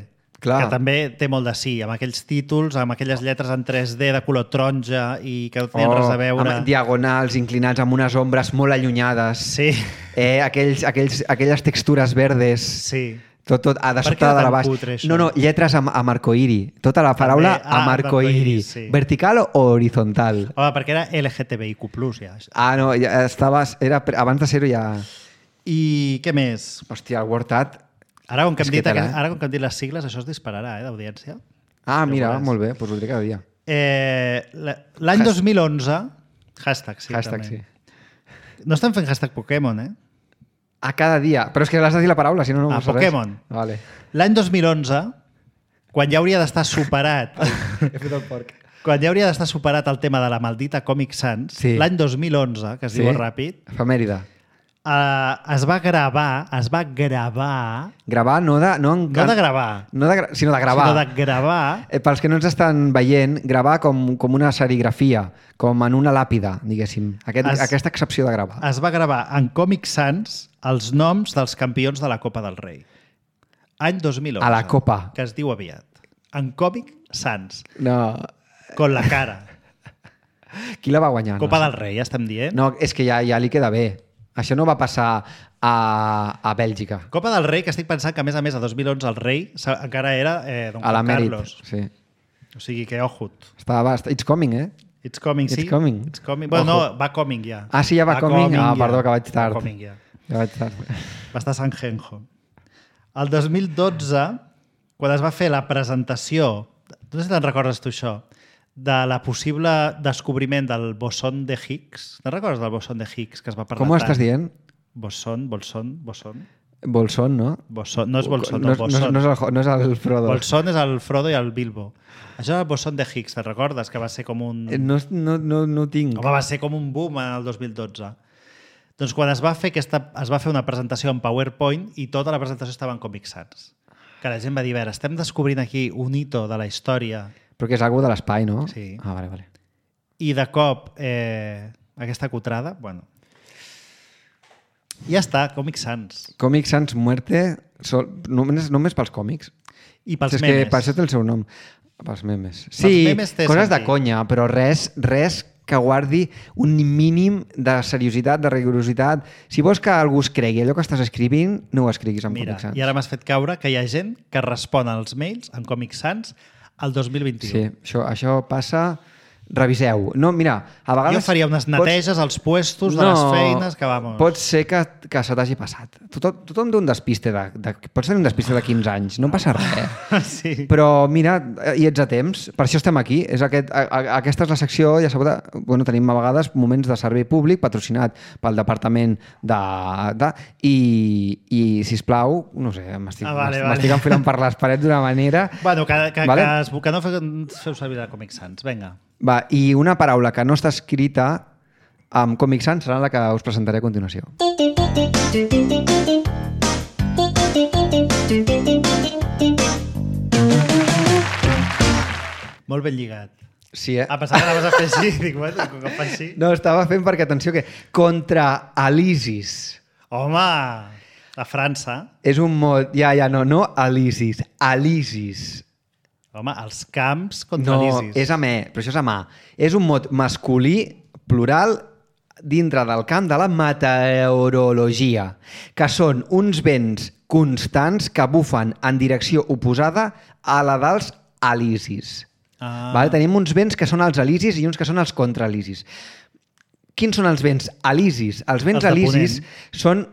Clar. Que també té molt de sí, amb aquells títols, amb aquelles lletres en tres D de color taronja i que no tenen res a veure. Oh, amb diagonals, inclinats, amb unes ombres molt allunyades. Sí, Eh, aquells, aquells, aquelles textures verdes. sí. Tot, tot, a de Per què sobte de era la tan baix. cutre, això? No, no, lletres amb, amb arcoïri. Tota la paraula També, ah, amb amb arcoïri. arcoïri, sí. Vertical o horizontal? Home, perquè era L G T B I Q plus, ja. Ah, no, ja estaves, era, pre- abans de ser-ho ja... I què més? Hòstia, el Word Art... Ara com que, És hem que dit, tela, aquest- eh? ara com que hem dit les sigles, això es dispararà, eh, d'audiència. Ah, Ja ho mira, veuràs. molt bé, doncs ho diré cada dia. Eh, la- L'any Has- dos mil onze... Hashtag, sí, Hashtag, també. sí. No estem fent hashtag Pokémon, eh? A cada dia. Però és que l'has de dir la paraula, si no, no Ah, passa res. Pokémon. Vale. L'any dos mil onze, quan ja hauria d'estar superat... He fet el porc. quan ja hauria d'estar superat el tema de la maldita Comic Sans, Sí. l'any dos mil onze, que es Sí. diu ràpid, Efemèride. eh, es va gravar, es va gravar... Gravar, no de... No, en, No de gravar, No de, gra- sinó de gravar. sinó de gravar... Eh, pels que no ens estan veient, gravar com, com una serigrafia, com en una làpida, diguéssim. Aquest, Es- Aquesta excepció de gravar. Es va gravar en Comic Sans els noms dels campions de la Copa del Rei. Any dos mil onze. A la Copa. Que es diu aviat. En Comic Sans. No. Con la cara. Qui la va guanyar? Copa no, del Rei, ja estem dient. No, és que ja, ja li queda bé. Això no va passar a, a Bèlgica. Copa del Rei, que estic pensant que, a més a més, a dos mil onze el rei sa- encara era eh, Don A la Juan Mèrit. Carlos. Sí. O sigui que, ojut. Estava, it's coming, eh? It's coming, sí. It's coming. It's coming. Bueno, Ojo. no, va coming ja. Ah, sí, ja va, va coming? coming? Ah, ja. perdó, que vaig tard. Va coming ja. Ja vaig tard. Va estar a San Genjo. El dos mil dotze, quan es va fer la presentació, no sé si te'n recordes tu això, de la possible descobriment del boson de Higgs. Te'n recordes del boson de Higgs que es va parlar Com ho tant? estàs dient? Boson, bolson, boson. Bolson, no? Bolson, no és bolson, no, no, bolson. No, no, és el, no és el Frodo. Bolson és el Frodo i el Bilbo. Això és el boson de Higgs, te'n recordes? Que va ser com un... No, no, no, no tinc. Home, va ser com un boom en el dos mil dotze. Doncs quan es va fer aquesta, es va fer una presentació en PowerPoint i tota la presentació estava en Comic Sans. Que la gent va dir, a veure, estem descobrint aquí un hito de la història. Però que és algú de l'espai, no? Sí. Ah, vale, vale. I de cop, eh, aquesta cutrada, bueno... Ja està, Comic Sans. Comic Sans Muerte, sol, només, només pels còmics. I pels és memes. Que per això té el seu nom. Pels memes. Sí, memes té coses sentit. de conya, però res, res que guardi un mínim de seriositat, de rigorositat. Si vols que algú es cregui allò que estàs escrivint, no ho escriguis en Mira, Comic Sans. i ara m'has fet caure que hi ha gent que respon als mails en Comic Sans al dos mil vint-i-u. Sí, això, això passa... Reviseu. No, mira, a vegades... Jo faria unes neteges als puestos de no, les feines que, vamos... Pot ser que, que se t'hagi passat. Tothom, tothom té un despiste de, de... Pots tenir un despiste de quinze anys, no passa res. Sí. Però mira, hi ets a temps, per això estem aquí. És aquest, a, a, aquesta és la secció, ja sabeu, de, bueno, tenim a vegades moments de servei públic patrocinat pel Departament de... de i, i sisplau, no sé, m'estic ah, vale, vale. enfilant per les parets d'una manera... Bueno, que, que, vale? que, es, que no feu, feu servir la Comic Sans. Vinga. Va, i una paraula que no està escrita amb Comic Sans serà la que us presentaré a continuació. Molt ben lligat. Sí, eh? A pesar que anaves a fer així, dic, bueno, com que fa així... No, estava fent perquè, atenció, que contra Elisis. Home, a França... És un mot... Ja, ja, no, no Elisis, Elisis. Home, els camps contra no, l'Isis. No, és amb E, però això és amb A. És un mot masculí, plural, dintre del camp de la meteorologia, que són uns vents constants que bufen en direcció oposada a la dels elisis. Ah. Vale? Tenim uns vents que són els elisis i uns que són els contraelisis. Quins són els vents elisis? Els vents Els de elisis ponent. són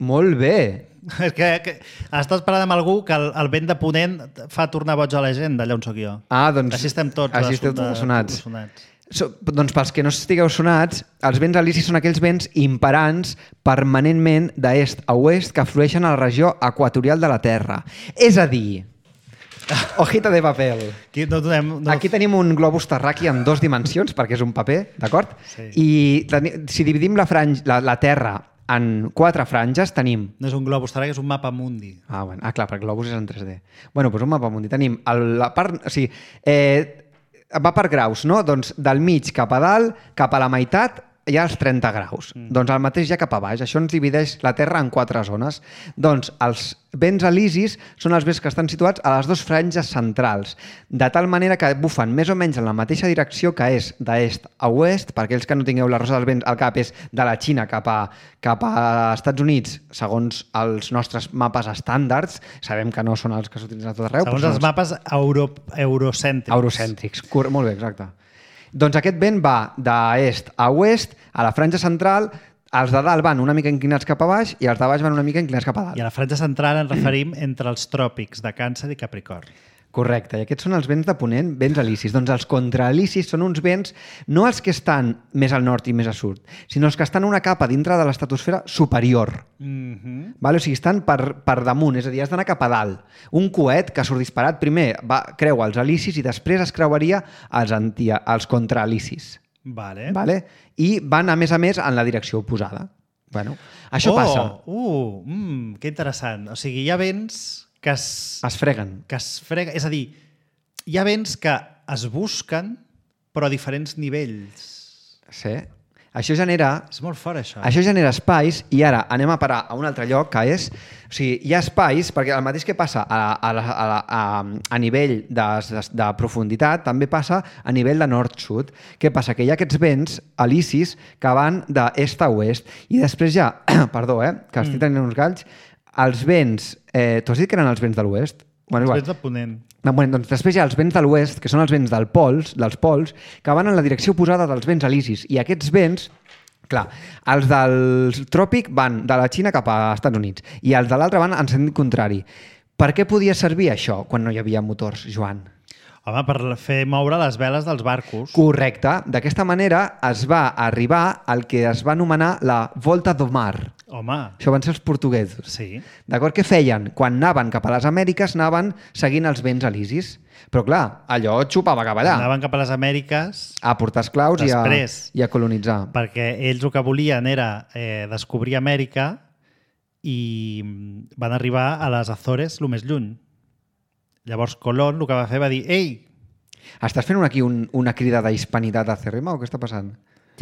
molt bé. És que, que estàs parlant amb algú que el, el vent de ponent fa tornar boig a la gent d'allà on sóc jo. Ah, doncs... Així estem tots. Així esteu tots sonats. sonats. So, doncs pels que no estigueu sonats, els vents elisis són aquells vents imperants permanentment d'est a oest que flueixen a la regió equatorial de la Terra. És a dir, hojita de paper. Aquí, no donem, no... Aquí tenim un globus terraqui en dos dimensions, perquè és un paper, d'acord? Sí. I teni, si dividim la, franj, la, la Terra en quatre franges, tenim... No és un globus terraqui, és un mapa mundi. Ah, bueno. ah, clar, perquè el globus és en tres D. Bueno, doncs un mapa mundi. Tenim el, la part... O sigui, eh, va per graus, no? Doncs del mig cap a dalt, cap a la meitat, hi ha els trenta graus. Mm. Doncs el mateix ja cap a baix. Això ens divideix la Terra en quatre zones. Doncs els vents elisis són els vents que estan situats a les dues franges centrals, de tal manera que bufen més o menys en la mateixa direcció, que és d'est a oest. Per aquells que no tingueu la rosa dels vents al cap, és de la Xina cap a, cap a Estats Units, segons els nostres mapes estàndards. Sabem que no són els que s'utilitzen a tot arreu. Segons els mapes euro, eurocèntrics. Eurocèntrics, molt bé, exacte. Doncs aquest vent va d'est a oest, a la franja central, els de dalt van una mica inclinats cap a baix i els de baix van una mica inclinats cap a dalt. I a la franja central ens referim entre els tròpics de Càncer i Capricorn. Correcte, i aquests són els vents de ponent, vents elisis. Doncs els contraelisis són uns vents, no els que estan més al nord i més a sud, sinó els que estan una capa dintre de l'estratosfera superior. Mm-hmm. Vale? O sigui, estan per, per damunt, és a dir, has d'anar cap a dalt. Un coet que surt disparat primer va, creua els elisis i després es creuaria els, antia, els contraelisis. Vale. Vale? I van, a més a més, en la direcció oposada. Bueno, això oh, passa. Uh, mm, que interessant. O sigui, hi ha vents que es... Es freguen. Que es freguen. És a dir, hi ha vents que es busquen, però a diferents nivells. Sí. Això genera... És molt fort, això. Això genera espais, i ara anem a parar a un altre lloc, que és... O sigui, hi ha espais, perquè el mateix que passa a, a, a, a, a nivell de, de, de profunditat, també passa a nivell de nord-sud. Què passa? Que hi ha aquests vents elisis que van d'est a oest, i després ja... Perdó, eh? Que estic tenint uns galls. Els vents... Eh, tu has dit que eren els vents de l'oest? Bueno, els igual. vents de ponent. No, bueno, doncs després hi ha els vents de l'oest, que són els vents del pols, dels pols, que van en la direcció oposada dels vents alisis. I aquests vents, clar, els del tròpic van de la Xina cap a Estats Units i els de l'altre van en sentit contrari. Per què podia servir això quan no hi havia motors, Joan? Home, per fer moure les veles dels barcos. Correcte. D'aquesta manera es va arribar al que es va anomenar la Volta do Mar. Home. Això van ser els portuguesos. Sí. D'acord? Què feien? Quan anaven cap a les Amèriques, anaven seguint els vents alisis. Però, clar, allò xupava cap allà. Anaven cap a les Amèriques... A portar esclaus i a, Després. i a colonitzar. Perquè ells el que volien era eh, descobrir Amèrica i van arribar a les Azores el més lluny. Llavors Colón el que va fer va dir «Ei!». Estàs fent aquí un, una crida d'hispanitat acèrrima o què està passant?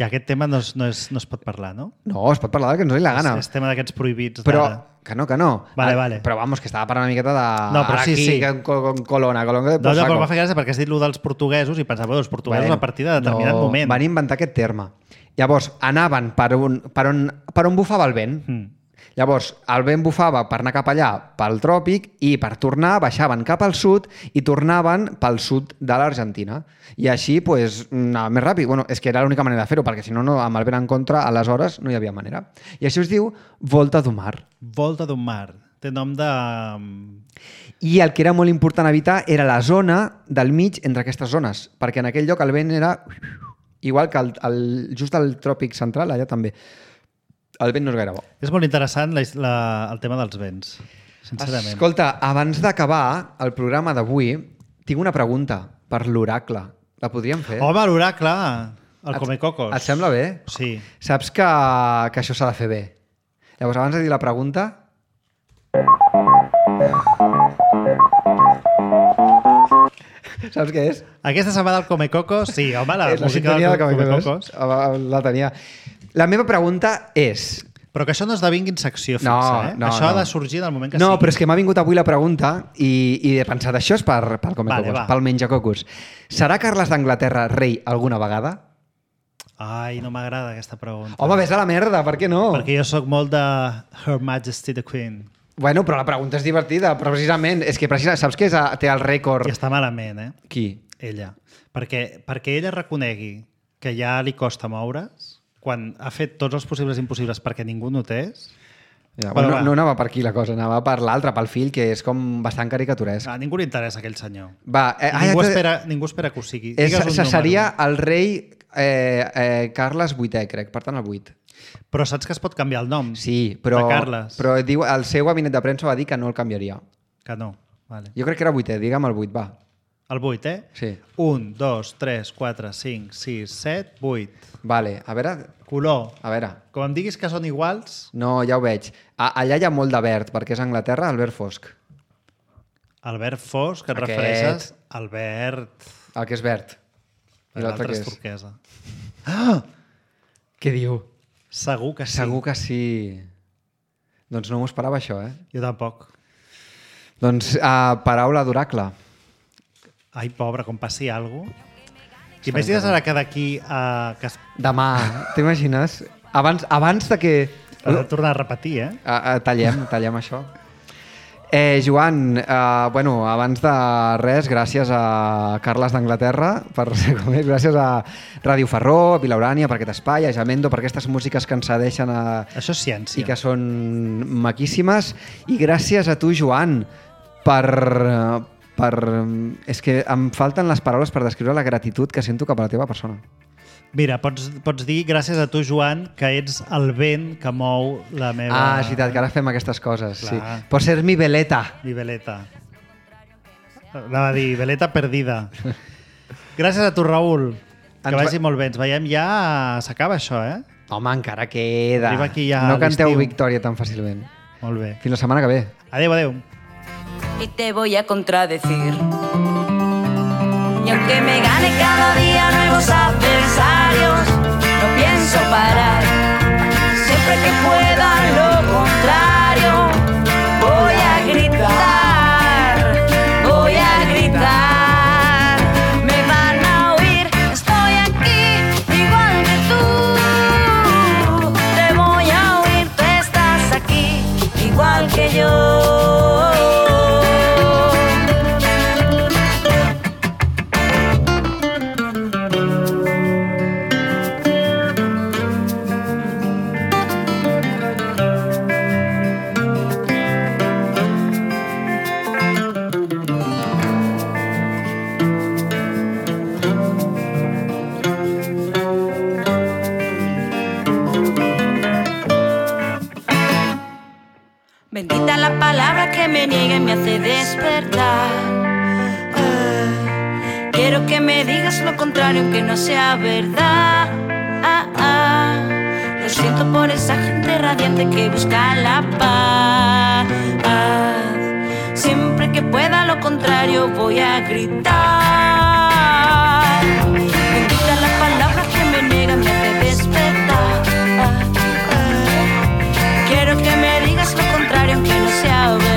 I aquest tema no es, no, es, no es pot parlar, no? No, es pot parlar del que ens doni la gana. És, és tema d'aquests prohibits. Però, d'ara. que no, que no. Vale, Ah, vale. Però vamos, que estava parlant una miqueta de... No, però sí, aquí, sí. Con, con Colona, Colona de No, no, saco. però m'ha fet gràcia perquè has dit allò dels portuguesos i pensava, bueno, els portuguesos Bueno, a partir de determinat no, moment. Van inventar aquest terme. Llavors, anaven per on, per on, per on bufava el vent. Mm. Llavors, el vent bufava per anar cap allà, pel tròpic, i per tornar baixaven cap al sud i tornaven pel sud de l'Argentina. I així, pues, anava més ràpid. Bueno, és que era l'única manera de fer-ho, perquè si no, no, amb el vent en contra, aleshores no hi havia manera. I això es diu Volta do Mar. Volta d'un mar. Té nom de... I el que era molt important evitar era la zona del mig entre aquestes zones, perquè en aquell lloc el vent era igual que el, el, just al tròpic central, allà també. El vent no és gaire bo. És molt interessant la, la, el tema dels vents, sincerament. Escolta, abans d'acabar el programa d'avui, tinc una pregunta per l'oracle. La podríem fer? Home, l'oracle, el Et- Comecocos. Et sembla bé? Sí. Saps que, que això s'ha de fer bé. Llavors, abans de dir la pregunta... Saps què és? Aquesta setmana del Comecocos, sí, home, la, és la música sintonia del del Comecocos. Comecocos. La tenia. La meva pregunta és... Però que això no esdevinguin secció fixa, No, eh? no, això no. ha de sorgir en el moment que No, sigui. però és que m'ha vingut avui la pregunta i, i he pensat, això és per, pel Comecocos, Vale, va. pel Menjacocos. Serà Carles d'Anglaterra rei alguna vegada? Ai, no m'agrada aquesta pregunta. Home, vés a la merda, per què no? Perquè jo sóc molt de Her Majesty the Queen. Bueno, però la pregunta és divertida, però precisament, és que precisament, saps què és, a- té el rècord? I està malament, eh? Qui? Ella. Perquè, perquè ella reconegui que ja li costa moure's, quan ha fet tots els possibles i impossibles perquè ningú notés. Ja, Bueno, bueno, va. no, no anava per aquí la cosa, anava per l'altre, pel fill, que és com bastant caricaturesc. A ningú li interessa aquell senyor. Va, eh, ah, ningú, ja t'he- espera, ningú espera que ho sigui. és, Digues un se- número. seria el rei eh, eh, Carles vuitè, crec, per tant el vuit. Però saps que es pot canviar el nom? Sí, però, De Carles. però diu, el seu gabinet de premsa va dir que no el canviaria. Que no. Vale. Jo crec que era vuitè, digue'm el vuit, va. El vuit, eh? Sí. un, dos, tres, quatre, cinc, sis, set, vuit. Vale, a veure, Color. a veure. Com em diguis que són iguals, No, ja ho veig. A, allà hi ha molt de verd, perquè és Anglaterra, el verd fosc. el verd fosc, que et Aquest. refereixes al verd... El que és verd. I l'altre L'altre què és és? turquesa. Què diu? Segur que sí. Segur que sí. Doncs no m'ho esperava, això, eh? Jo tampoc. Doncs uh, paraula d'oracle. Ai, pobre, com passi alguna cosa. T'imagines ara que d'aquí a... que es... Demà, t'imagines? Abans, abans de que... Has de tornar a repetir, eh? Uh, uh, tallem, tallem això. Eh, Joan, eh, bueno, abans de res, gràcies a Carles d'Anglaterra per ser com és, gràcies a Ràdio Ferró, a Vilaurània per aquest espai, a Jamendo per aquestes músiques que ens cedeixen a... Això és ciència. i que són maquíssimes, i gràcies a tu, Joan, per... per... És que em falten les paraules per descriure la gratitud que sento cap a la teva persona. Mira, pots, pots dir gràcies a tu, Joan, que ets el vent que mou la meva... Ah, és veritat, que ara fem aquestes coses. Sí. Clar. Por ser mi veleta. Mi veleta. Anava a dir, veleta perdida. Gràcies a tu, Raül. Que Ens vagi va- molt bé. Ens veiem ja... S'acaba això, eh? Home, encara queda. Arriba aquí ja no canteu l'estiu. victòria tan fàcilment. Molt bé. Fins la setmana que ve. Adéu, adéu. Y te voy a contradecir. Y aunque me gane cada día nuevos adversarios, no pienso parar. Siempre que pueda lo contrario, voy a gritar, voy a gritar. Me van a oír, estoy aquí, igual que tú. Te voy a oír, tú estás aquí, igual que yo. Bendita la palabra que me niega y me hace despertar. Ah, quiero que me digas lo contrario aunque no sea verdad. Ah, ah, lo siento por esa gente radiante que busca la paz. Siempre que pueda lo contrario voy a gritar. Bendita la palabra que me niega, me hace despertar. Quiero que me digas lo contrario aunque no sea verdad.